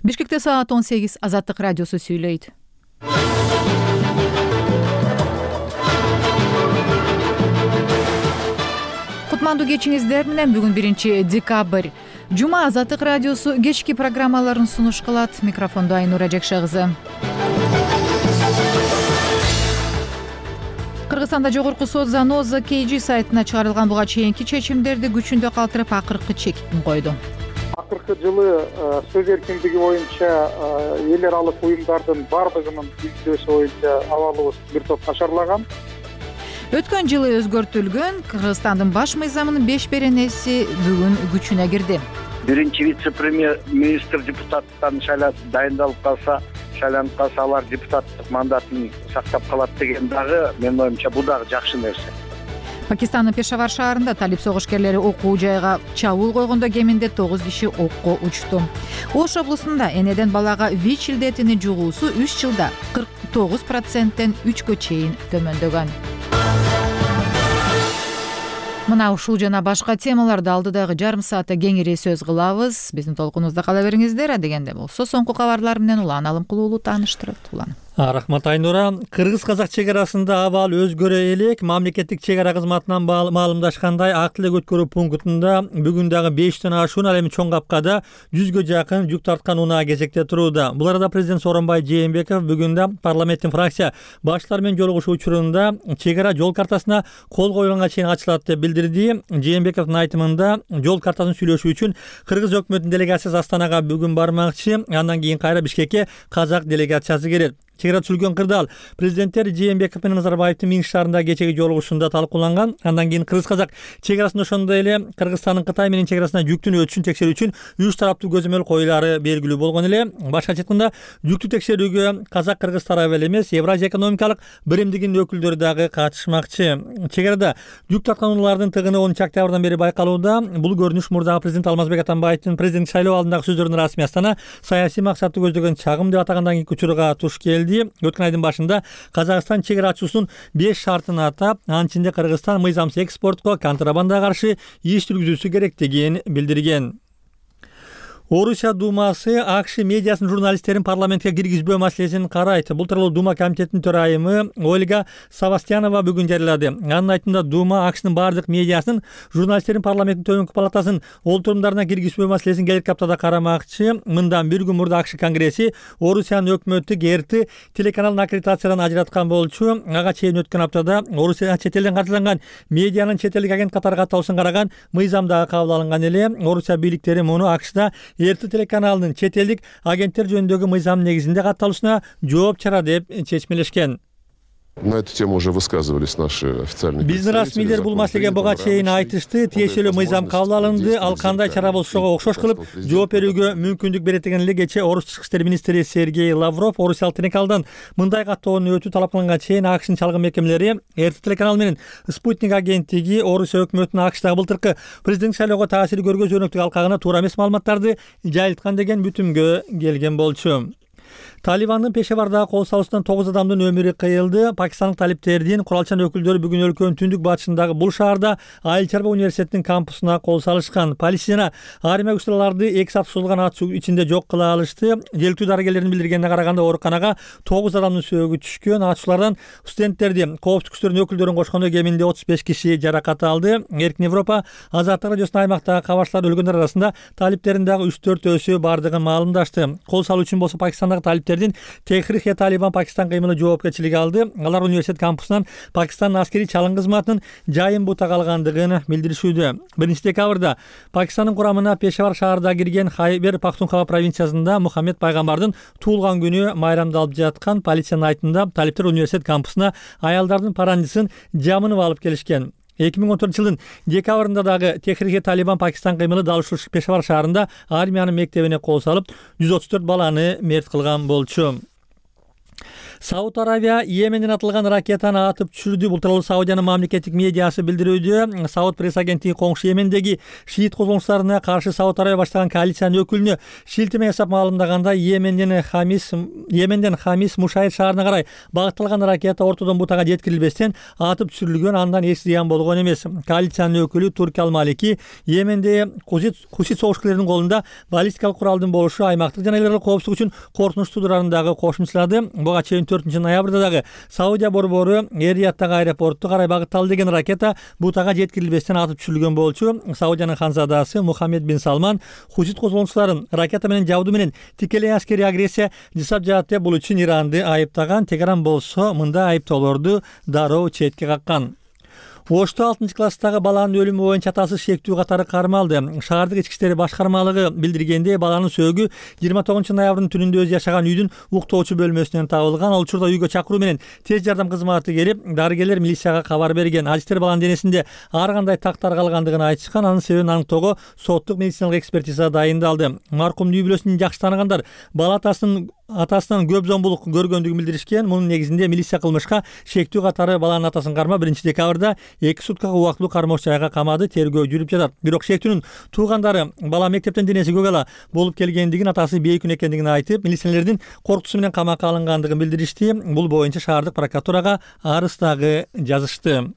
Бишкекте саат 18. Азаттык радиосу сүйлөйт. Кутмандуу кечиңиздер менен бүгүн 1-декабрь. Жума Азаттык радиосу кечки программаларын сунуш кылат. Микрофондо Айнура Жакшы кызы. Кыргызстанда жогорку сот Заноза KG сайтына чыгарылган буга чейинки чечимдерди күчүндө калтырып акыркы чекитин койду. Акыркы жылы сөз эркиндиги боюнча эл аралык уюмдардын бардыгынын изилдөөсү боюнча абалыбыз бир топ нашарлаган. Өткөн жылы өзгөртүлгөн Кыргызстандын баш мыйзамынын 5 беренеси бүгүн күчүнө кирди. Биринчи вице-премьер-министр депутаттан дайындалып калса, шайланып калса, алар депутаттык мандатын сактап калат деген дагы менин оюмча бул дагы жакшы нерсе. Пакистандын Пешавар шаарында талип согушкерлери окуу жайга чабуул койгондо кеминде 9 киши окко учту. Ош облусунда энеден балага ВИЧ илдетини жугуусу 3 жылда 49%тен 3кө чейин төмөндөгөн. Мына ушул жана башка темаларды алдыдагы жарым саатта кеңири сөз кылабыз. Биздин толкунубузда кала бериңиздер. Дегенде болсо соңку кабарлар менен Улан Алымкулуулу тааныштырат. Улан. Рахмат Айнура. Кыргыз-казак чек арасында абал өзгөрө элек. Мамлекеттик чек ара кызматынан маалымдашкандай, ак тилек өткөрүү пунктунда бүгүн дагы 5тен ашуун, ал эми чоң капкада 100гө жакын жүк тарткан унаа кезекте турууда. Бул арада президент Сооронбай Жээнбеков бүгүн да парламенттин фракция баштары менен жолугушуу учурунда чек ара жол картасына кол койгонго чейин ачылат деп билдирди. Жээнбековдун айтымында жол картасын сүйлөшүү үчүн Кыргыз өкмөтүнүн делегациясы Астанага бүгүн бармакчы, андан кийин кайра Бишкекке казак делегациясы келет. Чек ара түзүлгөн кырдаал президенттер Жээнбеков менен Назарбаевдин Минск шаарында кечеги жолугушуусунда талкууланган. Андан кийин Кыргыз-казак чек арасында ошондой эле Кыргызстандын Кытай менен чек арасына жүктүн өтүшүн текшерүү үчүн 3 тараптуу көзөмөл коюлары белгилүү болгон эле. Башка айтканда, жүктү текшерүүгө казак-кыргыз тарабы эле эмес, Евразия экономикалык биримдигинин өкүлдөрү дагы катышмакчы. Чек арада жүк тарткан унаалардын тыгыны 10 октябрдан бери байкалууда. Бул көрүнүш мурдагы президент Алмазбек Атамбаевдин президенттик шайлоо алдындагы сөздөрүнүн расмий Астана саясий максатты көздөгөн чагым деп атагандан кийинки учурга туш келди. Өткөн айдын башында Казакстан чек ара ачуусунун 5 шартын атап, анын ичинде Кыргызстан мыйзамсыз экспортко, контрабандага каршы иш жүргүзүүсү керектигин билдирген. Орусия Думасы АКШ медиасынын журналисттерин парламентке киргизбөө маселесин карайт. Бул тууралуу Дума комитетинин төрайымы Ольга Савастьянова бүгүн жарыялады. Анын айтымында Дума АКШнын бардык медиасынын журналисттерин парламенттин төмөнкү палатасынын олтурумдарына киргизбөө маселесин келесі аптада карамакчы. Мындан бир күн мурда АКШ конгресси Орусиянын өкмөтү РТ телеканалын аккредитациядан ажыраткан болчу. Ага чейин өткөн аптада Орусия чет элден карталанган медианын чет элдик агент катары катталышын караган мыйзам дагы кабыл алынган эле. Орусия бийликтери муну АКШда РТ телеканалынын чет элдик агенттер жөнүндөгү мыйзамдын негизинде катталышына жооп чара деп чечмелешкен. На эту тему уже высказывались наши официальные представители. Биздин расмийлер бул маселеге буга чейин айтышты. Тиешелүү мыйзам кабыл алынды. Ал кандай чара болсого окшош кылып жооп берүүгө мүмкүндүк берет деген эле кечээ Орус тышкы иштер министри Сергей Лавров Орусиялык телеканалдан мындай каттоонун өтүү талап кылганга чейин АКШнын чалгын мекемелери РТ телеканал менен Спутник агенттиги Орусия өкмөтүнүн АКШдагы былтыркы президенттик шайлоого таасири көргөзүү өнөктүк алкагына туура эмес маалыматтарды жайылткан деген бүтүмгө келген болчу. Талибандын Пешавардагы кол салуусунан 9 адамдын өмүрү кыйылды. Пакистандык талиптердин куралчан өкүлдөрү бүгүн өлкөнүн түндүк батышындагы бул шаарда Айыл чарба университетинин кампусуна кол салышкан. Полиция жана армия күчтөрү 2 саат созулган атышуу ичинде жок кыла алышты. Желектүү дарыгерлердин билдиргенине караганда ооруканага 9 адамдын сөөгү түшкөн. Атышуулардан студенттерди, коопсуздук күчтөрүнүн өкүлдөрүн кошкондо кеминде 35 киши жаракат алды. Эркин Европа Азаттык радиосунун аймактагы кабарчылар өлгөндөр арасында талиптердин дагы 3-4 бардыгын маалымдашты. Кол салуу үчүн болсо Пакистандагы талиптердин Техрик-e-Талибан Пакистан кыймылы жоопкерчилиги алды. Алар университет кампусунан Пакистандын аскерий чалым кызматынын жайын бутак алгандыгын билдиришүүдө. 1-декабрда Пакистандын курамына Пешавар шаарында кирген Хайбер Пахтунхва провинциясында Мухаммед пайгамбардын туулган күнү майрамдалып жаткан. Полициянын айтымында талиптер университет кампусуна аялдардын парандысын жамынып алып келишкен. 2014 жылдын декабрында дагы Техрик-e-Талибан Пакистан кыймылы дал ушул Пешавар шаарында армиянын мектебине кол салып 134 баланы мерт кылган болчу. Сауд Арабия Йеменден атылган ракетаны атып түшүрдү. Бул тууралуу Саудиянын мамлекеттик медиасы билдирүүдө. Сауд пресс агенттиги коңшу Йемендеги шиит козголуңчуларына каршы Сауд Арабия баштаган коалициянын өкүлүнө шилтеме жасап маалымдаганда Йеменден Хамис Мушайд шаарына карай багытталган ракета ортодон бутага жеткирилбестен атып түшүрүлгөн, андан эч зыян болгон эмес. Коалициянын өкүлү Турки Ал-Малики Йеменде хусит согушкерлердин колунда баллистикалык куралдын болушу аймактык жана эл аралык коопсуздук үчүн коркунуч туудурарын дагы кошумчалады. Буга чейин 4-ноябрда дагы Саудия борбору Эрияттагы аэропорту карай багытталды деген ракета бутага жеткирилбестен атып түшүрүлгөн болчу. Саудиянын ханзадасы Мухаммед бин Салман хусит козголуңчуларын ракета менен жабдуу менен тикелей аскерий агрессия жасап жатат деп бул үчүн Иранды айыптаган. Тегеран болсо мындай айыптоолорду дароо четке каккан. Ошто 6-класстагы баланын өлүмү боюнча атасы шектүү катары кармалды. Шаардык ички иштер башкармалыгы билдиргенде, баланын сөөгү 29-ноябрдын түнүндө өз жашаган үйдүн уктоочу бөлмөсүнөн табылган. Ал учурда үйгө чакыруу менен тез жардам кызматы келип, дарыгерлер милицияга кабар берген. Адистер баланын денесинде ар кандай тактар калгандыгын айтышкан. Анын себебин аныктоого соттук медициналык экспертиза дайындалды. Маркумдун үй бүлөсүн жакшы тааныгандар бала атасынан көп зомбулук көргөндүгүн билдиришкен. Мунун негизинде милиция кылмышка шектүү катары баланын атасын кармап 1-декабрда 2 суткага убактылуу кармоочу жайга камады. Тергөө жүрүп жатат. Бирок шектүүнүн туугандары бала мектептен денеси көк ала болуп келгендигин, атасы бейкүн экендигин айтып, милиционерлердин коркутуусу менен камакка алынгандыгын билдиришти. Бул боюнча шаардык прокуратурага арыз дагы жазышты.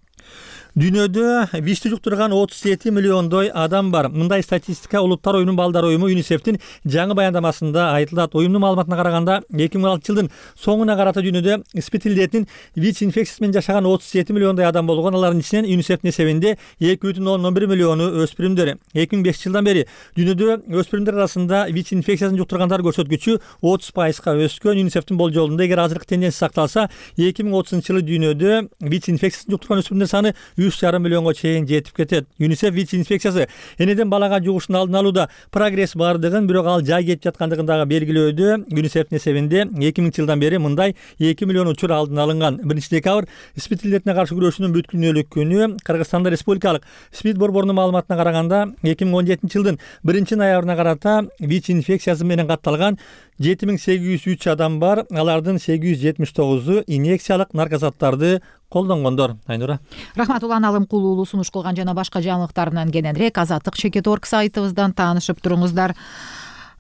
Дүйнөдө ВИЧти жуктурган 37 миллиондой адам бар. Мындай статистика Улуттар оюнунун балдар уюму ЮНИСЕФтин жаңы баяндамасында айтылат. Уюмдун маалыматына караганда 2016 жылдын соңуна карата дүйнөдө СПИД илдетинин ВИЧ инфекциясы менен жашаган 37 миллиондой адам болгон. Алардын ичинен ЮНИСЕФтин эсебинде 2,1 миллиону өспүрүмдөр. 2005 жылдан бери дүйнөдө өспүрүмдөр арасында ВИЧ инфекциясын жуктургандар көрсөткүчү 30%га өскөн. ЮНИСЕФтин болжолунда эгер азыркы тенденция сакталса, 2030 жылы дүйнөдө ВИЧ инфекциясын жуктурган өспүрүмдөр саны 3,5 миллионго чейин жетип кетет. ЮНИСЕФ ВИЧ инфекциясы энеден балага жугушун алдын алууда прогресс бардыгын, бирок ал жай кетип жаткандыгын дагы белгилөөдө. ЮНИСЕФтин эсебинде 2000 жылдан бери мындай 2 миллион учур алдын алынган. 1-декабрь СПИД илдетине каршы күрөшүүнүн бүткүлүнөлүк күнү. Кыргызстанда республикалык СПИД борборунун маалыматына караганда 2017 жылдын 1-ноябрына карата ВИЧ инфекциясы менен катталган 7803 адам бар. Алардын 879-у инъекциялык наркозаттарды колдонгондор. Айнура. Рахмат. Улан Алымкулуулу сунуш кылган жана башка жаңылыктарынан кененирээк Азаттык.org сайтыбыздан таанышып туруңуздар.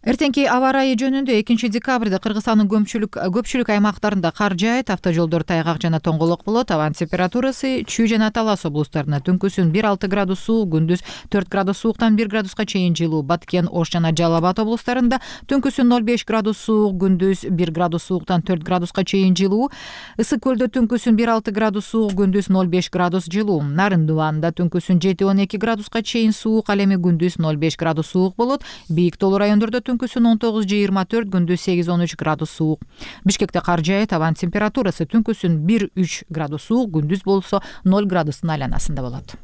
Эртеңки аба ырайы жөнүндө 2-декабрда Кыргызстандын көпчүлүк аймактарында кар жаайт, автожолдор тайгак жана тоңголок болот. Абанын температурасы Чүй жана Талас облустарында түнкүсүн 1-6 градус суук, күндүз 4 градус сууктан 1 градуска чейин жылуу. Баткен, Ош жана Жалал Абад облустарында түнкүсүн 0,5 градус суук, күндүз 1 градус сууктан 4 градуска чейин жылуу. Ысык көлдө түнкүсүн 1-6 градус суук, күндүз 0,5 градус жылуу. Нарын Дубанда түнкүсүн 7-12 градуска чейин суук, ал эми күндүз 0,5 градус суук болот. Бийик тоолуу райондордо түнкүсүн 19-24, күндүз 8-13 градус суук. Бишкекте кар жаайт, абанын температурасы түнкүсүн 1-3 градус суук, күндүз болсо 0 градустун айланасында болот.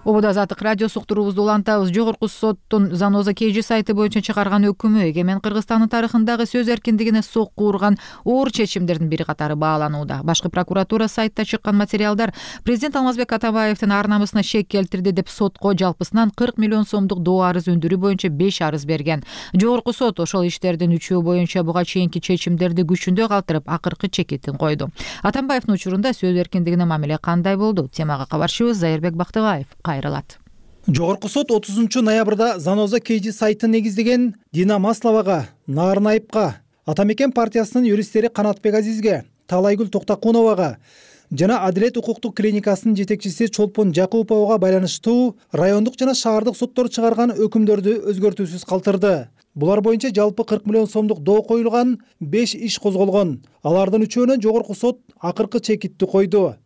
Ободо Азаттык радиосу уктуруубузду улантабыз. Жогорку соттун Заноза KG сайты боюнча чыгарган өкүмү эгемен Кыргызстандын тарыхындагы сөз эркиндигине сокку урган оор чечимдердин бири катары бааланууда. Башкы прокуратура сайтта чыккан материалдар президент Алмазбек Атамбаевдин ар намысына шек келтирди деп сотко жалпысынан 40 миллион сомдук доо арыз өндүрүү боюнча 5 арыз берген. Жогорку сот ошол иштердин 3-өө боюнча буга чейинки чечимдерди күчүндө калтырып, акыркы чекитин койду. Атамбаевдин учурунда сөз эркиндигине мамиле кандай болду? Темага кабарчыбыз Зайырбек Бактыбаев кайрылат. Жогорку сот 30-ноябрда Заноза KG сайтын негиздеген Дина Масловага, Нарын Айыпка, Атамекен партиясынын юристтери Канатбек Азизге, Талайгүл Токтакуновага жана Адилет укуктук клиникасынын жетекчиси Чолпон Жакуповго байланыштуу райондук жана шаардык соттор чыгарган өкүмдөрдү өзгөртүүсүз калтырды. Булар боюнча жалпы 40 миллион сомдук доо коюлган, 5 иш козголгон. Алардын 3-өөнө жогорку сот акыркы чекитти койду.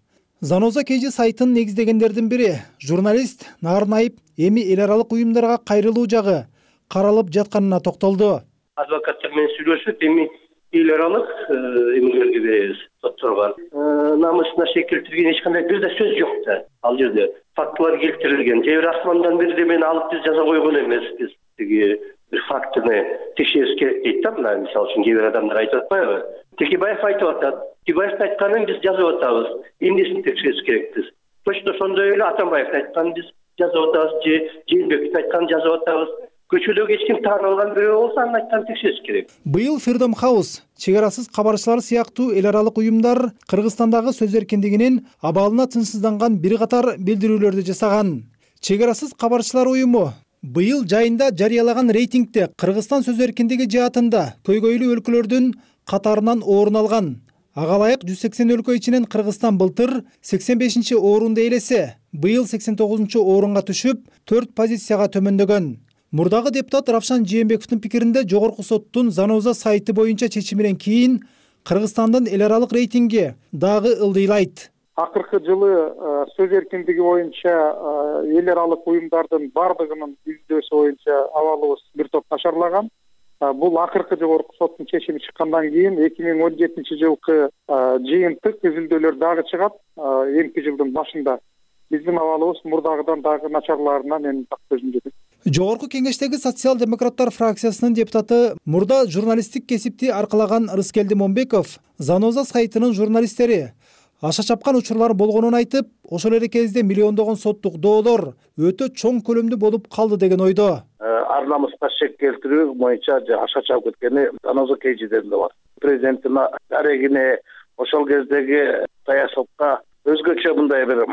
Заноза KG сайтын негиздегендердин бири журналист Нарын Айып эми эл аралык уюмдарга кайрылуу жагы каралып жатканына токтолду. Адвокаттар менен сүйлөшүп, эми эл аралык эмелерге беребиз, сотторго. Намысына шек келтирген эч кандай бир да сөз жок да. Ал жерде фактылар келтирилген. Же бир асмандан бир демени алып биз жаза койгон эмеспиз. Тиги бир фактыны текшериш керек дейт да. Мына мисалы үчүн кээ бир адамдар айтып атпайбы? Текебаев айтып атат. Текебаевдин айтканын биз жазып атабыз. Эмнесин текшериш керекпиз? Точно ошондой эле Атамбаевдин айтканын биз жазып атабыз же Жээнбеков айтканын жазып атабыз. Көчөдөгү эч ким таанып алган бирөө болсо анын айтканын текшериш керек. Быйыл Freedom House, чегарасыз кабарчылар сыяктуу эл аралык уюмдар Кыргызстандагы сөз эркиндигинин абалына тынчсызданган бир катар билдирүүлөрдү жасаган. Чегарасыз кабарчылар уюму быйыл жайында жарыялаган рейтингде Кыргызстан сөз эркиндиги жаатында көйгөйлүү өлкөлөрдүн катарынан орун алган. Ага ылайык 180 өлкө ичинен Кыргызстан былтыр 85-орунду ээлесе, быйыл 89-орунга түшүп, 4 позицияга төмөндөгөн. Мурдагы депутат Равшан Жээнбековдун пикиринде Жогорку соттун Заноза сайты боюнча чечиминен кийин Кыргызстандын эл аралык рейтинги дагы ылдыйлайт. Акыркы жылы сөз эркиндиги боюнча эл аралык уюмдардын бардыгынын изилдөөсү боюнча абалыбыз бир топ начарлаган. Бул акыркы Жогорку соттун чечими чыккандан кийин 2017-жылкы жыйынтык изилдөөлөр дагы чыгат. Эмки жылдын башында биздин абалыбыз мурдагыдан дагы начарлаарына мен так көзүм жетет. Жогорку кеңештеги социал-демократтар фракциясынын депутаты мурда журналисттик кесипти аркалаган Рыскелди Момбеков Заноза сайтынын журналисттери аша чапкан учурлар болгонун айтып, ошол эле кезде миллиондогон соттук доолор өтө чоң көлөмдүү болуп калды деген ойдо. Ар намыска шек келтирүү боюнча аша чапып кеткени Заноза кейжидеринде бар. Президенттин арегине ошол кездеги саясатка өзгөчө мындай бир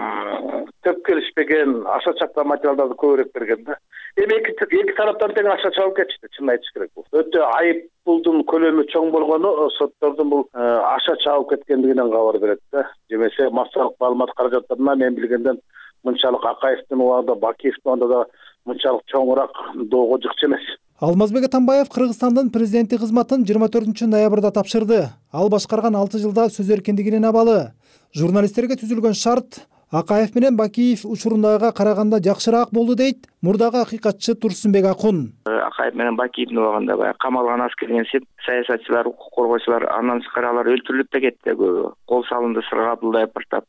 төп келишпеген аша чапкан материалдарды көбүрөөк берген да. Эми эки тараптан тең аша чабып кетишти, чын айтыш керек. Өтө айыппулдун көлөмү чоң болгону соттордун бул аша чабып кеткендигинен кабар берет да. Жемесе массалык маалымат каражаттарына мен билгенден мынчалык Акаевдин убагында, Бакиевдин убагында да мынчалык чоңураак доого жыкчу эмес. Алмазбек Атамбаев Кыргызстандын президенти кызматын 24-ноябрда тапшырды. Ал башкарган 6 жылда сөз эркиндигинин абалы. Журналисттерге түзүлгөн шарт Акаев менен Бакиев учурундагыга караганда жакшыраак болду дейт мурдагы акыйкатчы Турсунбек Акун. Акаев менен Бакиевдин убагында баягы камалган аскерден саясатчылар, укук коргоочулар, андан тышкары алар өлтүрүлүп да кетти көбү. Кол салынды, сырга абылдай пыртап.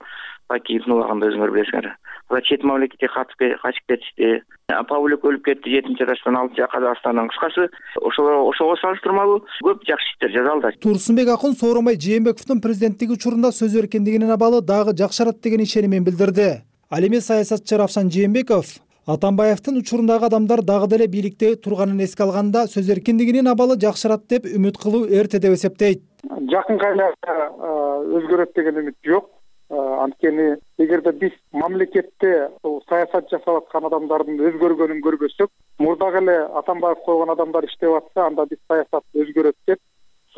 Бакиевдин убагында өзүңөр билесиңер. Алар чет мамлекетке качып кетишти. Павлик өлүп кетти 7-этаждан 6 Казакстандан. Кыскасы ошого салыштырмалуу көп жакшы иштер жасалды. Турсунбек Акун Сооронбай Жээнбековдун президенттиги учурунда сөз эркиндигинин абалы дагы жакшырат деген ишенимин билдирди. Ал эми саясатчы Равшан Жээнбеков Атамбаевдин учурундагы адамдар дагы деле бийликте турганын эске алганда сөз эркиндигинин абалы жакшырат деп үмүт кылуу эрте деп эсептейт. Жакынкы айларда өзгөрөт деген үмүт жок. Анткени эгерде биз мамлекетте саясат жасап аткан адамдардын өзгөргөнүн көрбөсөк, мурдагы эле Атамбаев койгон адамдар иштеп атса, анда биз саясат өзгөрөт деп,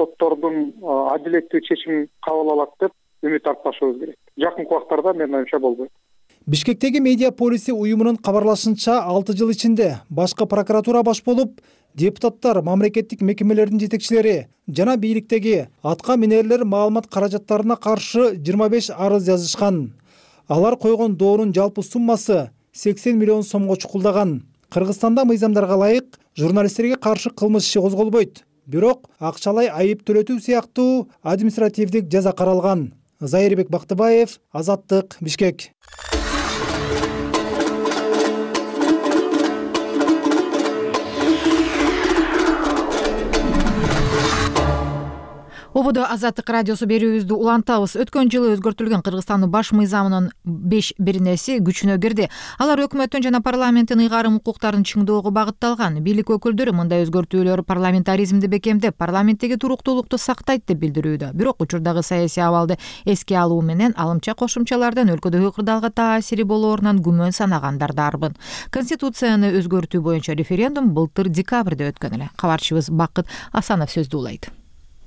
соттордун адилеттүү чечим кабыл алат деп үмүт артпашыбыз керек. Жакынкы убактарда менин оюмча болбойт. Бишкектеги медиа полиси уюмунун кабарлашынча 6 жыл ичинде башкы прокуратура баш болуп, депутаттар, мамлекеттик мекемелердин жетекчилери жана бийликтеги атка минерлер маалымат каражаттарына каршы 25 арыз жазышкан. Алар койгон доонун жалпы суммасы 80 миллион сомго чукулдаган. Кыргызстанда мыйзамдарга ылайык журналисттерге каршы кылмыш иши козголбойт. Бирок акчалай айып төлөтүү сыяктуу административдик жаза каралган. Зайырбек Бактыбаев, Азаттык, Бишкек. Ободо Азаттык радиосу берүүбүздү улантабыз. Өткөн жылы өзгөртүлгөн Кыргызстандын баш мыйзамынын 5 бирнеси күчүнө кирди. Алар өкмөттүн жана парламенттин ыйгарым укуктарын чыңдоого багытталган. Бийлик өкүлдөрү мындай өзгөртүүлөр парламентаризмди бекемдеп, парламенттеги туруктуулукту сактайт деп билдирүүдө. Бирок учурдагы саясий абалды эске алуу менен алымча кошумчалардан өлкөдөгү кырдаалга таасири болоорунан күмөн санагандар дарбын. Конституцияны өзгөртүү боюнча референдум былтыр декабрда өткөн эле. Кабарчыбыз Бакыт Асанов сөздү улайт.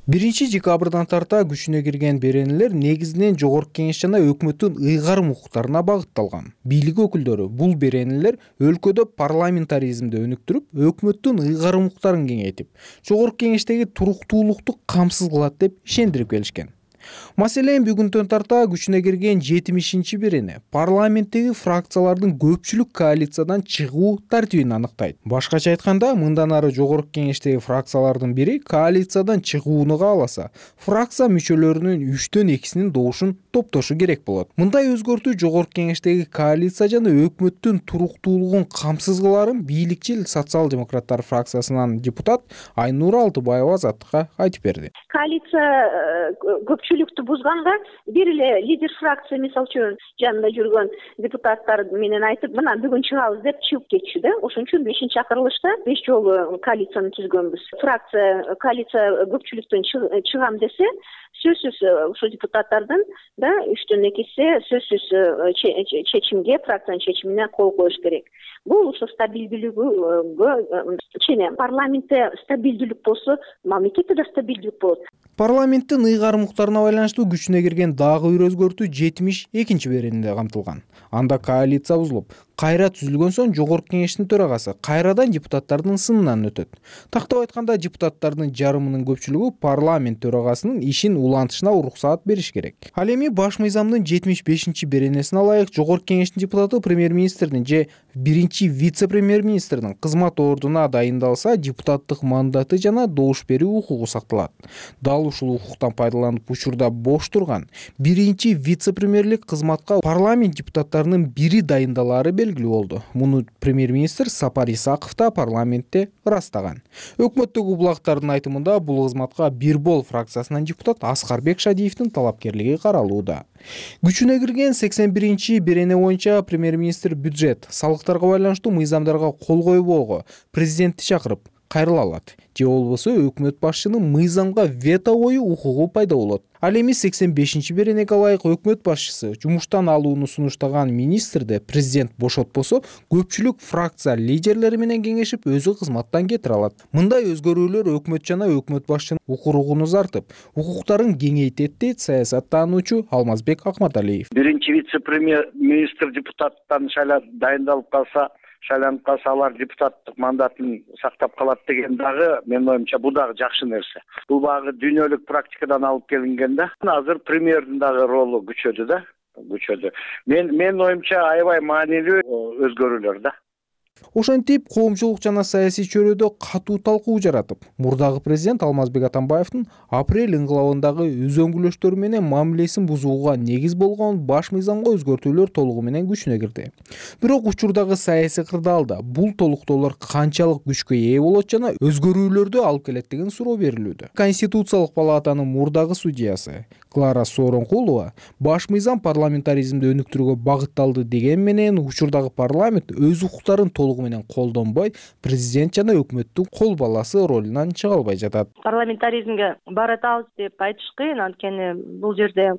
1 декабрдан тарта күчүнө кирген беренелер негизинен Жогорку Кеңеш жана өкмөттүн ыйгарым укуктарына багытталган. Бийлик өкүлдөрү бул беренелер өлкөдө парламентаризмди өнүктүрүп, өкмөттүн ыйгарым укуктарын кеңейтип, Жогорку Кеңештеги туруктуулукту камсыз кылат деп ишендирип келишкен. Маселен, бүгүндөн тарта күчүнө кирген 70-чи берене парламенттеги фракциялардын көпчүлүк коалициядан чыгуу тартибин аныктайт. Башкача айтканда, мындан ары Жогорку Кеңештеги фракциялардын бири коалициядан чыгууну кааласа, фракция мүчөлөрүнүн 3/2 добушун топтошу керек болот. Мындай өзгөртүү Жогорку Кеңештеги коалиция жана өкмөттүн туруктуулугун камсыз кыларын бийликчил социал-демократтар фракциясынан депутат Айнура Алтыбаева Азаттыкка айтып берди. Коалиция көпчүлүк көпчүлүктү бузганга бир эле лидер фракция мисалы үчүн жанында жүргөн депутаттар менен айтып, мына бүгүн чыгабыз деп чыгып кетчү да. Ошон үчүн 5-чакырылышта 5 жолу коалицияны түзгөнбүз. Коалиция көпчүлүктөн чыгам десе, сөзсүз ушул депутаттардын да 3/2 сөзсүз чечимге, фракциянын чечимине кол коюш керек. Бул ошо стабилдүүлүгүгө чейин парламентте стабилдүүлүк болсо, мамлекетте да стабилдүүлүк болот. Парламенттин ыйгарым укуктарына байланыштуу күчүнө кирген дагы бир өзгөртүү 72 беренде камтылган. Анда коалиция бузулуп, кайра түзүлгөн соң жогорку кеңештин төрагасы кайрадан депутаттардын сынынан өтөт. Тактап айтканда, депутаттардын жарымынын көпчүлүгү парламент төрагасынын ишин улантышына уруксаат бериш керек. Ал эми баш мыйзамдын 75 беренесине ылайык жогорку кеңештин депутаты премьер-министрдин же биринчи вице-премьер-министрдин кызмат ордуна дайындалса, депутаттык мандаты жана добуш берүү укугу сакталат. Дал ушул укуктан пайдаланып учурда бош турган биринчи вице-премьерлик кызматка парламент депутаттарынын бири дайындалаары белгилүү болду. Муну премьер-министр Сапар Исаков да парламентте ырастаган. Өкмөттөгү булактардын айтымында бул кызматка Бир бол фракциясынан депутат Аскарбек Шадиевдин талапкерлиги каралууда. Күчүнө кирген 81 берене боюнча премьер-министр бюджет, салыктарга байланыштуу мыйзамдарга кол койбоого президентти чакырып кайрыла алат. Же болбосо өкмөт башчынын мыйзамга вето коюу укугу пайда болот. Ал эми 85 беренеге ылайык өкмөт башчысы жумуштан алууну сунуштаган министрди президент бошотпосо, көпчүлүк фракция лидерлери менен кеңешип өзү кызматтан кетире алат. Мындай өзгөрүүлөр өкмөт жана өкмөт башчынын укугун узартып, укуктарын кеңейтет дейт саясаттануучу Алмазбек Акматалиев. Биринчи вице-премьер-министр депутаттан дайындалып калса, шайланып калса, алар депутаттык мандатын сактап калат деген дагы, менин оюмча, бул дагы жакшы нерсе. Бул багы дүйнөлүк практикадан алып келинген да. Азыр премьердин дагы ролу күчөдү да. Менин оюмча аябай маанилүү өзгөрүүлөр да. Ошентип, коомчулук жана саясий чөйрөдө катуу талкуу жаратып, мурдагы президент Алмазбек Атамбаевдин апрель ыңгылабындагы өзөңгүлөштөрү менен мамилесин бузууга негиз болгон баш мыйзамга өзгөртүүлөр толугу менен күчүнө кирди. Бирок учурдагы саясий кырдаалда бул толуктоолор канчалык күчкө ээ болот жана өзгөрүүлөрдү алып келет деген суроо берилүүдө. Конституциялык палатанын мурдагы судьясы Клара Сооронкулова баш мыйзам парламентаризмди өнүктүрүүгө багытталды деген менен учурдагы парламент өз укуктарын толугу менен колдонбой, президент жана өкмөттүн кол баласы ролунан чыга албай жатат. Парламентаризмге баратабыз деп айтыш кыйын, анткени бул жерде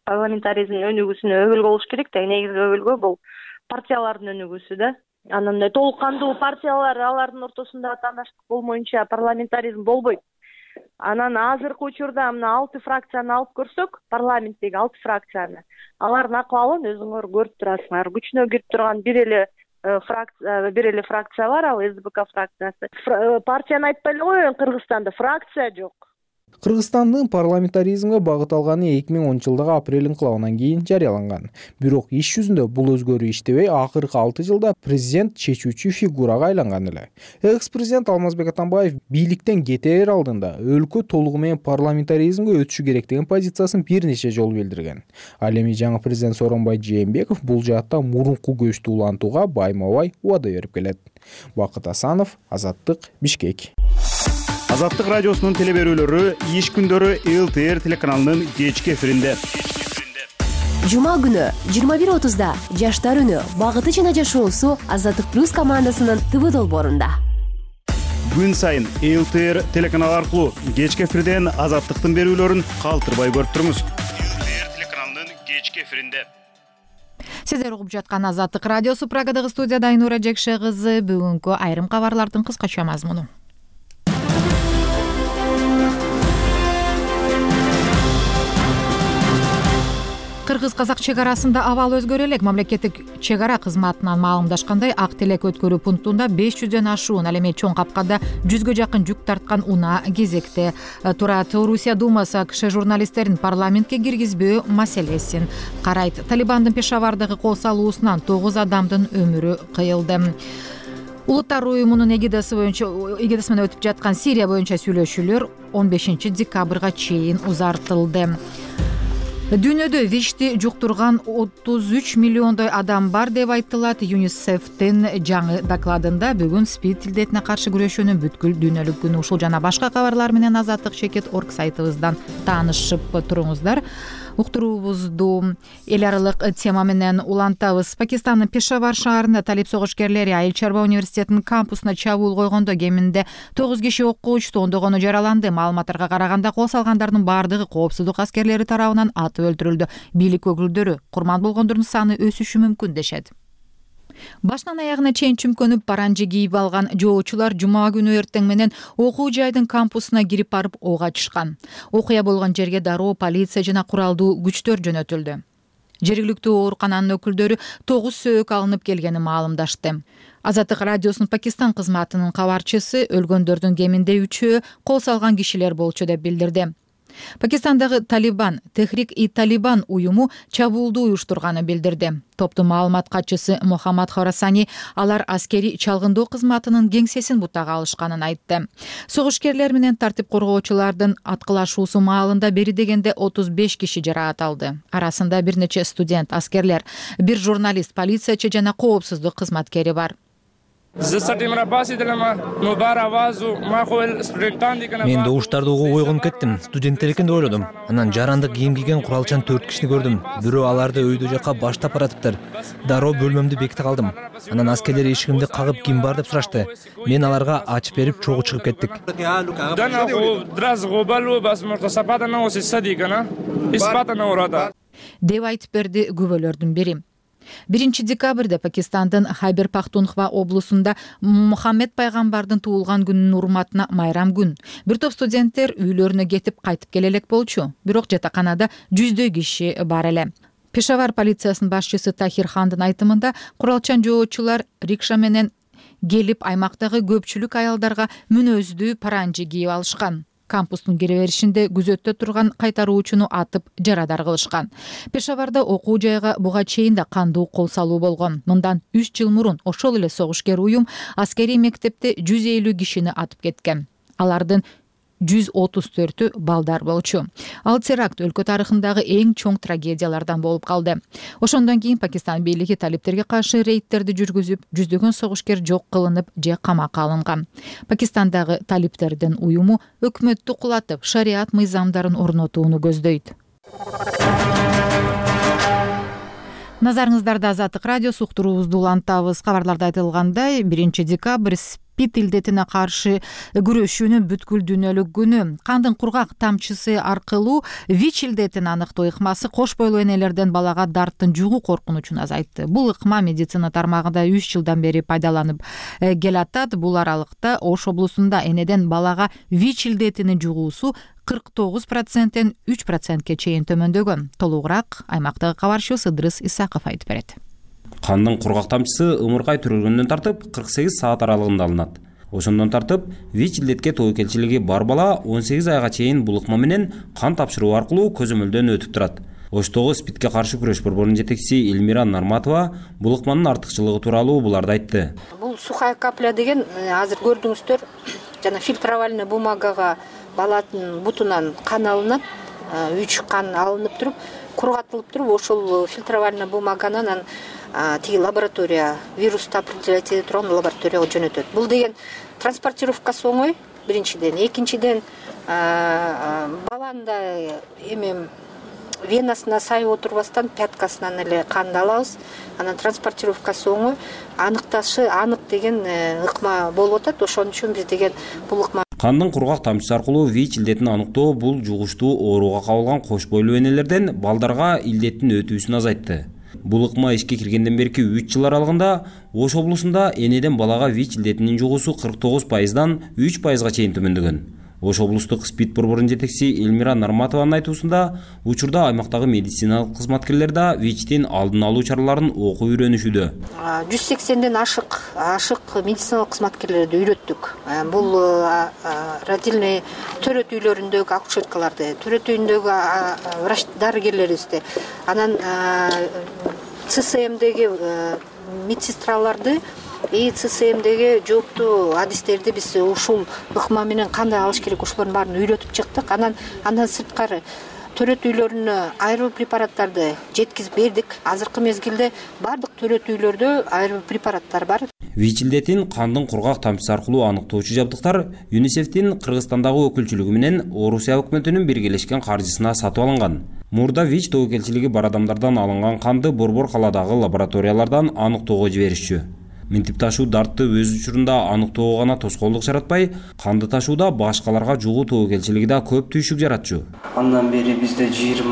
парламентаризмдин өнүгүүсүнө өбөлгө болуш керек да. Негизги өбөлгө бул партиялардын өнүгүүсү да. Анан толук кандуу партиялар, алардын ортосунда тааныштык болмоюнча парламентаризм болбойт. Анан азыркы учурда мына 6 фракцияны алып көрсөк, парламенттеги 6 фракцияны, алардын акыбалын өзүңөр көрүп турасыңар. Күчүнө кирип турган бир эле фракция бар, ал СБК фракциясы. Партияны айтпай эле коеюн, Кыргызстанда фракция жок. Кыргызстандын парламентаризмге багыт алганы 2010-жылдагы апрель ыңкылабынан кийин жарыяланган. Бирок иш жүзүндө бул өзгөрүү иштебей, акыркы 6 жылда президент чечүүчү фигурага айланган эле. Экс-президент Алмазбек Атамбаев бийликтен кетер алдында өлкө толугу менен парламентаризмге өтүшү керек деген позициясын бир нече жолу билдирген. Ал эми жаңы президент Сооронбай Жээнбеков бул жаатта мурунку көчтү улантууга байма-бай убада берип келет. Бакыт Асанов, Азаттык, Бишкек. Азаттык радиосунун телеберүүлөрү иш күндөрү ЛТР телеканалынын кечки эфиринде. Жума күнү 21:30да Жаштар үнү багыты жана жашоосу Азаттык плюс командасынын ТВ долбоорунда. Күн сайын ЛТР телеканалы аркылуу кечки эфирден Азаттыктын берүүлөрүн калтырбай көрүп туруңуз. ЛТР телеканалынын кечки эфиринде. Сиздер угуп жаткан Азаттык радиосу. Прагадагы студияда Айнура Жекше кызы. Бүгүнкү айрым кабарлардын кыскача мазмуну. Кыргыз-казак чек арасында абал өзгөрө элек. Мамлекеттик чек ара кызматынан маалымдашкандай, Ак Телек өткөрүү пунктунда 500дөн ашуун, ал эми чоң капкада 100гө жакын жүк тарткан унаа кезекте турат. Орусия Думасы АКШ журналисттерин парламентке киргизбөө маселесин карайт. Талибандын Пешавардагы кол салуусунан 9 адамдын өмүрү кыйылды. Улуттар уюмунун эгидасы менен өтүп жаткан Сирия боюнча сүйлөшүүлөр 15 декабрга чейин узартылды. Дүйнөдө ВИЧти жуктурган 33 миллиондой адам бар деп айтылат. ЮНИСЕФтин жаңы докладында бүгүн СПИД илдетине каршы күрөшүүнүн бүткүл дүйнөлүк күнү. Ушул жана башка кабарлар менен Азаттык.org сайтыбыздан таанышып туруңуздар. Уктуруубузду эл аралык тема менен улантабыз. Пакистандын Пешавар шаарында талип согушкерлери Айыл чарба университетинин кампусуна чабуул койгондо кеминде 9 киши окко учту, ондогону жараланды. Маалыматтарга караганда кол салгандардын баардыгы коопсуздук аскерлери тарабынан атып өлтүрүлдү. Бийлик өкүлдөрү курман болгондордун саны өсүшү мүмкүн дешет. Башынан аягына чейин чүмкөнүп паранжы кийип алган жоочулар жума күнү эртең менен окуу жайдын кампусуна кирип барып ок ачышкан. Окуя болгон жерге дароо полиция жана куралдуу күчтөр жөнөтүлдү. Жергиликтүү оорукананын өкүлдөрү 9 сөөк алынып келгенин маалымдашты. Азаттык радиосунун Пакистан кызматынын кабарчысы өлгөндөрдүн кеминде 3-өө кол салган кишилер болчу деп билдирди. Пакистандагы Талибан, Техрик-и-Талибан уюму чабуулду уюштурганын билдирди. Топтун маалымат катчысы Мухаммад Хорасани алар аскери чалгындоо кызматынын кеңсесин бутага алышканын айтты. Согушкерлер менен тартип коргоочулардын аткылашуусу маалында бери дегенде 35 киши жараат алды. Арасында бир нече студент, аскерлер, бир журналист, полициячы жана коопсуздук кызматкери бар. Мен добуштарды угуп ойгонуп кеттим. Студенттер экен деп ойлодум. Анан жарандык кийим кийген куралчан 4 кишини көрдүм. Бирөө аларды өйдө жакка баштап баратыптыр. Дароо бөлмөмдү беките калдым. Анан аскерлер эшигимди кагып ким бар деп сурашты. Мен аларга ачып берип чогуу чыгып кеттик. Деп айтып берди күбөлөрдүн бири. 1 декабрда Пакистандын Хайбер Пахтунхва облусунда Мухаммед пайгамбардын туулган күнүнүн урматына майрам күн. Бир топ студенттер үйлөрүнө кетип кайтып келе элек болчу. Бирок жатаканада 100дөй киши бар эле. Пешавар полициясынын башчысы Тахир Хандын айтымында куралчан жоочулар рикша менен келип аймактагы көпчүлүк аялдарга мүнөздүү паранжы кийип алышкан. Кампустун киреберишинде күзөттө турган кайтаруучуну атып жарадар кылышкан. Пешаварда окуу жайга буга чейин да кандуу кол салуу болгон. Мындан 3 жыл мурун ошол эле согушкер уюм аскерий мектепте 150 кишини атып кеткен. Алардын 134-ü балдар болчу. Ал теракт өлкө тарыхындагы эң чоң трагедиялардан болуп калды. Ошондон кийин Пакистан бийлиги талиптерге каршы рейдтерди жүргүзүп, жүздөгөн согушкер жок кылынып же камакка алынган. Пакистандагы талиптердин уюму өкмөттү кулатып, шариат мыйзамдарын орнотууну көздөйт. Назарыңыздарда Азаттык радиосу уктуруубузду улантабыз. Кабарларда айтылгандай, 1 декабрь СПИД илдетине каршы күрөшүүнүн бүткүл дүйнөлүк күнү. Кандын кургак тамчысы аркылуу ВИЧ илдетин аныктоо ыкмасы кош бойлуу энелерден балага дарттын жугуу коркунучун азайтты. Бул ыкма медицина тармагында 3 жылдан бери пайдаланып келатат. Бул аралыкта Ош облусунда энеден балага ВИЧ илдетинин жугуусу 49%-тен 3%ке чейин төмөндөгөн. Толугураак аймактагы кабарчыбыз Ыдрыс Исаков айтып берет. Кандын кургак тамчысы ымыркай түрүлгөндөн тартып 48 саат аралыгында алынат. Ошондон тартып ВИЧ илдетке тобокелчилиги бар бала 18 айга чейин бул ыкма менен кан тапшыруу аркылуу көзөмөлдөн өтүп турат. Оштогу СПИДке каршы күрөш борборунун жетекчиси Элмира Нарматова бул ыкманын артыкчылыгы тууралуу буларды айтты. Бул сухая капля деген азыр көрдүңүздөр, жана фильтровальный бумагага баланын бутунан кан алынат, 3 кан алынып туруп, кургатылып туруп, ошол фильтровальный бумаганы анан тиги лаборатория, вирусту определять этип турган лабораторияга жөнөтөт. Бул деген транспортировкасы оңой, биринчиден. Экинчиден, баланын да венасына сайып отурбастан пяткасынан эле канды алабыз. Анан транспортировкасы оңой, аныкташы анык деген ыкма болуп атат. Ошон үчүн биз деген бул ыкма кандын кургак тамчысы аркылуу ВИЧ илдетин аныктоо бул жугуштуу ооруга кабылган кош бойлуу энелерден балдарга илдеттин өтүүсүн азайтты. Бул ыкма ишке киргенден берки 3 жыл аралыгында Ош облусунда энеден балага ВИЧ илдетинин жугуусу 49%-дан 3%га чейин төмөндөгөн. Ош облустук СПИД борборунун жетекчиси Элмира Нарматованын айтуусунда, учурда аймактагы медициналык кызматкерлер да ВИЧтин алдын алуу чараларын окуп үйрөнүшүүдө. 180ден ашык медициналык кызматкерлерди үйрөттүк. Бул родильный төрөт үйлөрүндөгү акушеркаларды, төрөт үйүндөгү врач дарыгерлерибизди, анан ЦСМдеги медсестраларды и ЦСМдеги жооптуу адистерди биз ушул ыкма менен кандай алыш керек ошолордун баарын үйрөтүп чыктык. Андан сырткары төрөт үйлөрүнө айрылуу препараттарды жеткизип бердик. Азыркы мезгилде бардык төрөт үйлөрдө айрылуу препараттар бар. ВИЧ илдетин кандын кургак тамчысы аркылуу аныктоочу жабдыктар ЮНИСЕФтин Кыргызстандагы өкүлчүлүгү менен Орусия өкмөтүнүн биргелешкен каржысына сатып алынган. Мурда ВИЧ тобокелчилиги бар адамдардан алынган канды Борбор калаадагы лабораториялардан аныктоого жиберишчү. Минтип ташуу дартты өз учурунда аныктоого гана тоскоолдук жаратпай, канды ташууда башкаларга жугуу тобокелчилиги да көп түйшүк жаратчу. Андан бери бизде 20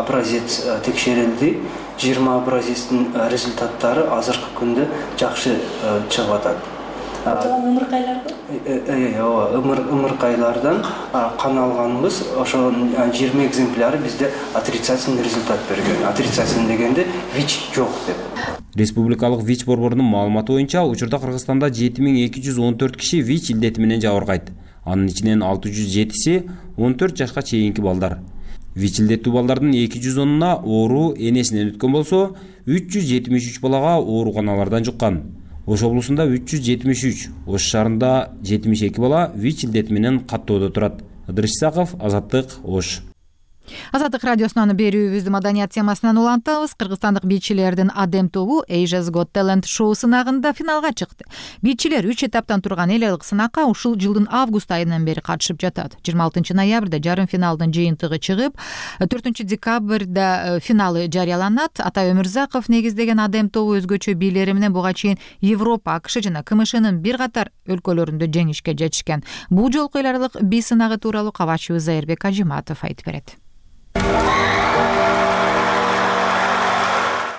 образец текшерилди. 20 образецтин результаттары азыркы күндө жакшы чыгып атат. Ымыркайлардан кан алганбыз, ошо 20 экземпляры бизде отрицательный результат берген. Отрицательный дегенде ВИЧ жок деп. Республикалык ВИЧ борборунун маалыматы боюнча, учурда Кыргызстанда 7214 киши ВИЧ илдети менен жабыркайт. Анын ичинен 607си 14 жашка чейинки балдар. ВИЧ илдеттүү балдардын 210уна оору энесинен өткөн болсо, 373 балага ооруканалардан жуккан. Ош облусунда 373, Ош шаарында 72 бала ВИЧ илдети менен каттоодо турат. Ыдырыш Исаков, Азаттык, Ош. Азаттык радиосунун берүүбүздү маданият темасынан улантабыз. Кыргызстандык бийчилердин Адем тобу Asia's Got Talent шоу сынагында финалга чыкты. Бийчилер 3 этаптан турган эл аралык сынакка ушул жылдын август айынан бери катышып жатат. 26 ноябрда жарым финалдын жыйынтыгы чыгып, 4 декабрда финалы жарыяланат. Атай Өмүрзаков негиздеген Адем тобу өзгөчө бийлери менен буга чейин Европа, АКШ жана КМШнын бир катар өлкөлөрүндө жеңишке жетишкен. Бул жолку эл аралык бий сынагы тууралуу кабарчыбыз Зайырбек Ажиматов айтып берет.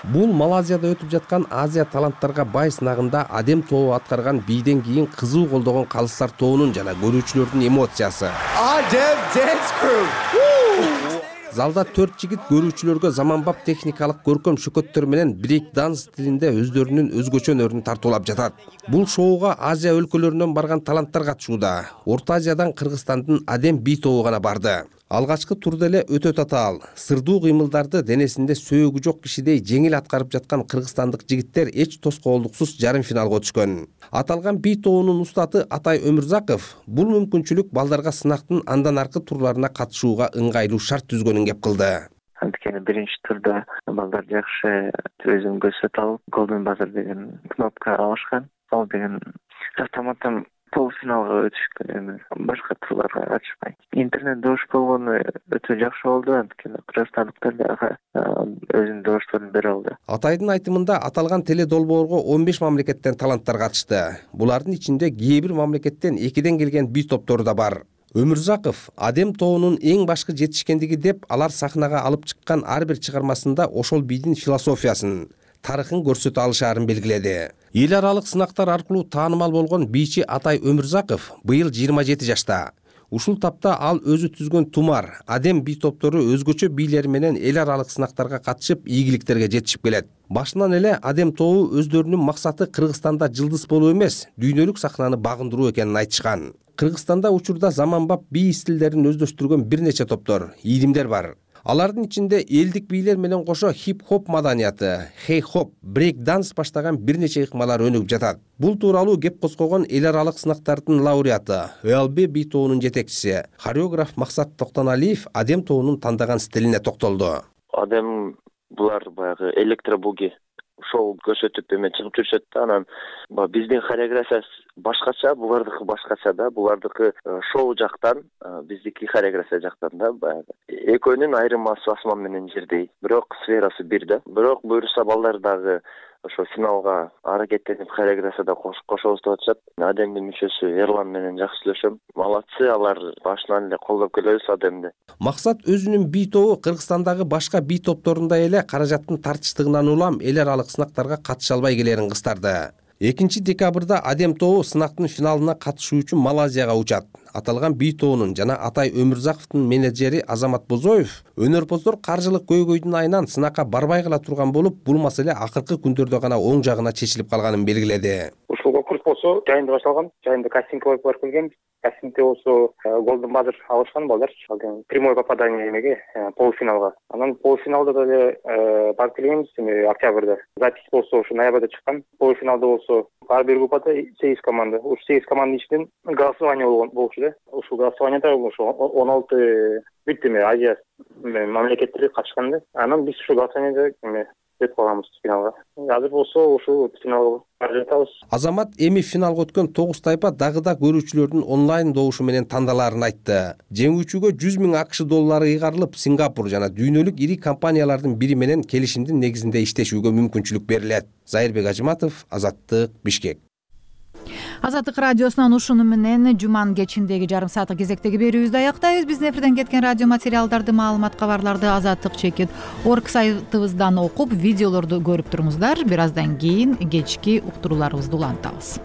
Бул Малайзияда өтүп жаткан Азия таланттарга бай сынагында Адем тобу аткарган бийден кийин кызуу колдогон калыстар тобунун жана көрүүчүлөрдүн эмоциясы. Adem Dance Crew. Залда 4 жигит көрүүчүлөргө заманбап техникалык көркөм шөкөттөр менен брейк данс стилинде өздөрүнүн өзгөчө өнөрүн тартуулап жатат. Бул шоуга Азия өлкөлөрүнөн барган таланттар катышууда. Орто Азиядан Кыргызстандын Адем бий тобу гана барды. Алгачкы турда эле өтө татаал, сырдуу кыймылдарды денесинде сөөгү жок кишидей жеңил аткарып жаткан кыргызстандык жигиттер эч тоскоолдуксуз жарым финалга өтүшкөн. Аталган бий тобунун устаты Атай Өмүрзаков бул мүмкүнчүлүк балдарга сынактын андан аркы турларына катышууга ыңгайлуу шарт түзгөнүн кеп кылды. Анткени биринчи турда балдар жакшы өзүн көрсөтүп алып, Golden Buzzer деген кнопка алышкан. Ал деген автоматтан полуфиналга өтүшкөн эми башка турларга катышпай. Интернет добуш болгону өтө жакшы болду, анткени кыргызстандыктар дагы өзүнүн добушторун бере алды. Атайдын айтымында аталган теле долбоорго 15 мамлекеттен таланттар катышты. Булардын ичинде кээ бир мамлекеттен экиден келген бий топтору да бар. Өмүрзаков Адем тобунун эң башкы жетишкендиги деп алар сахнага алып чыккан ар бир чыгармасында ошол бийдин философиясын, тарыхын көрсөтө алышаарын белгиледи. Эл аралык сынактар аркылуу таанымал болгон бийчи Атай Өмүрзаков быйыл 27 жашта. Ушул тапта ал өзү түзгөн Тумар, Адем бий топтору өзгөчө бийлери менен эл аралык сынактарга катышып, ийгиликтерге жетишип келет. Башынан эле Адем тобу өздөрүнүн максаты Кыргызстанда жылдыз болуу эмес, дүйнөлүк сахнаны багындыруу экенин айтышкан. Кыргызстанда учурда заманбап бий стилдерин өздөштүргөн бир нече топтор, ийримдер бар. Алардын ичинде элдик бийлер менен кошо хип-хоп маданияты, хей-хоп, брейк-данс баштаган бир нече ыкмалар өнүгүп жатат. Бул тууралуу кеп козгогон эл аралык сынактардын лауреаты, ЛБ бий тобунун жетекчиси, хореограф Максат Токтоналиев Адем тобунун тандаган стилине токтолду. Адем булар баягы электробуги шоу көрсөтүп эме чыгып жүрүшөт да, анан биздин хореография башкача, булардыкы башкача да, булардыкы шоу жактан, биздики хореография жактан да, баягы экөөнүн айырмасы асман менен жердей, бирок сферасы бир да. Бирок буюрса балдар дагы ошо финалга аракеттенип хореографияда кошобуз деп атышат. Адемдин мүчөсү Эрлан менен жакшы сүйлөшөм. Малатсы, алар башынан эле колдоп келебиз Адемди. Максат өзүнүн бий тобу Кыргызстандагы башка бий топторундай эле каражаттын тартычтыгынан улам эл аралык сынактарга катыша албай келерин кыстарды. 2 декабрда Адем тобу сынактын финалына катышуу үчүн Малайзияга учат. Аталган бий тобунун жана Атай Өмүрзаковдун менеджери Азамат Бозоев өнөрпоздор каржылык көйгөйдүн айынан сынакка барбай кала турган болуп, бул маселе акыркы күндөрдө гана оң жагына чечилип калганын белгиледи. Ушул конкурс болсо жайында башталган. Жайында кастингге барып келгенбиз. Кастингде болсо голдун баазыр алышкан балдар. Прямое попадание эмеге, полуфиналга. Анан полуфиналда деле барып келгенбиз октябрда. Запись болсо ушу ноябрда чыккан. Полуфиналда болсо ар бир группада 8 команда. Ушу 8 команданын ичинен голосование болчу да. Ушул голосованияда ушу 16 бүт Азия мамлекеттери катышкан да. Анан биз ушу голосованияда өтүп калганбыз финалга. Азыр болсо ушу финалга бара жатабыз. Азамат эми финалга өткөн 9 тайпа дагы да көрүүчүлөрдүн онлайн добушу менен тандалаарын айтты. Жеңүүчүгө 100 000 АКШ доллары ыйгарылып, Сингапур жана дүйнөлүк ири компаниялардын бири менен келишимдин негизинде иштешүүгө мүмкүнчүлүк берилет. Зайырбек Ажыматов, Азаттык, Бишкек. Азаттык радиосунан ушуну менен жуманын кечиндеги жарым сааттык кезектеги берүүбүздү аяктайбыз. Биздин эфирден кеткен радио материалдарды, маалымат, кабарларды azattik.org сайтыбыздан окуп, видеолорду көрүп туруңуздар. Бир аздан кийин кечки уктурууларыбызды улантабыз.